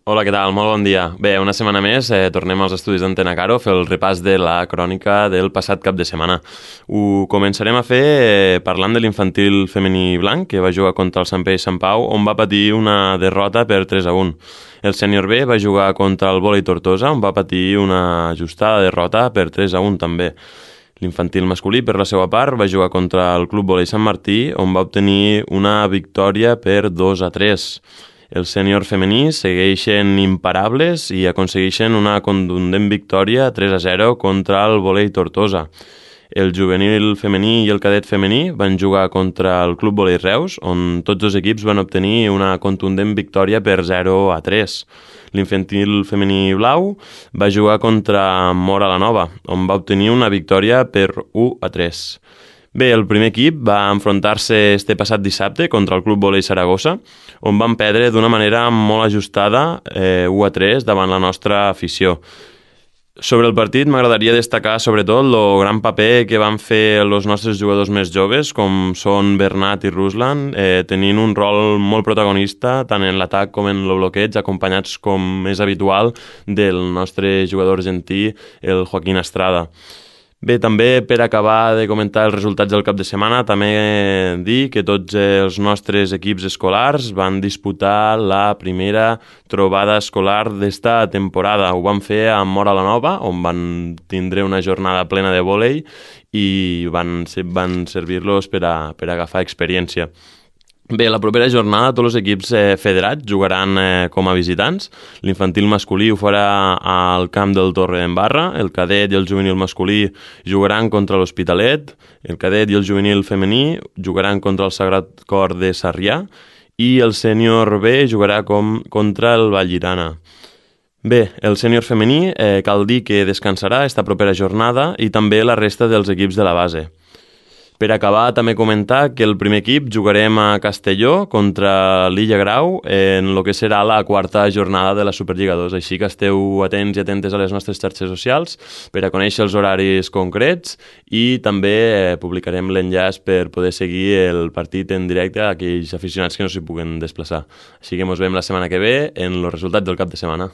Hola, què tal? Molt bon dia. Bé, una setmana més tornem als estudis d'Antena Caro a fer el repàs de la crònica del passat cap de setmana. Ho començarem a fer parlant de l'infantil femení blanc, que va jugar contra el Sant Pere i Sant Pau, on va patir una derrota per 3-1. El sènior B va jugar contra el Vòlei Tortosa, on va patir una ajustada derrota per 3-1 també. L'infantil masculí, per la seva part, va jugar contra el Club Vòlei Sant Martí, on va obtenir una victòria per 2-3. El sènior femení segueixen imparables i aconsegueixen una contundent victòria 3-0 contra el Vòlei Tortosa. El juvenil femení i el cadet femení van jugar contra el Club Vòlei Reus, on tots dos equips van obtenir una contundent victòria per 0-3. L'infantil femení blau va jugar contra Móra la Nova, on va obtenir una victòria per 1-3. Bé, el primer equip va enfrontar-se este passat dissabte contra el Club Vòlei Saragossa, on van perdre d'una manera molt ajustada 1-3 davant la nostra afició. Sobre el partit m'agradaria destacar sobretot el gran paper que van fer els nostres jugadors més joves, com són Bernat i Ruslan, tenint un rol molt protagonista tant en l'atac com en el bloqueig, acompanyats com és habitual del nostre jugador argentí, el Joaquín Estrada. Bé, també per acabar de comentar els resultats del cap de setmana, també dir que tots els nostres equips escolars van disputar la primera trobada escolar d'esta temporada. Ho van fer a Móra la Nova, on van tindre una jornada plena de vòlei i van servir-los per agafar experiència. Bé, la propera jornada tots els equips federats jugaran com a visitants. L'infantil masculí ho farà al camp del Torre d'en Barra, el cadet i el juvenil masculí jugaran contra l'Hospitalet, el cadet i el juvenil femení jugaran contra el Sagrat Cor de Sarrià i el sènior B jugarà contra el Vallirana. Bé, el sènior femení cal dir que descansarà esta propera jornada i també la resta dels equips de la base. Per acabar, també comentar que el primer equip jugarem a Castelló contra l'Illa Grau en el que serà la quarta jornada de la Superliga 2. Així que esteu atents i atentes a les nostres xarxes socials per a conèixer els horaris concrets i també publicarem l'enllaç per poder seguir el partit en directe a aquells aficionats que no s'hi puguen desplaçar. Així que ens veiem la setmana que ve en els resultats del cap de setmana.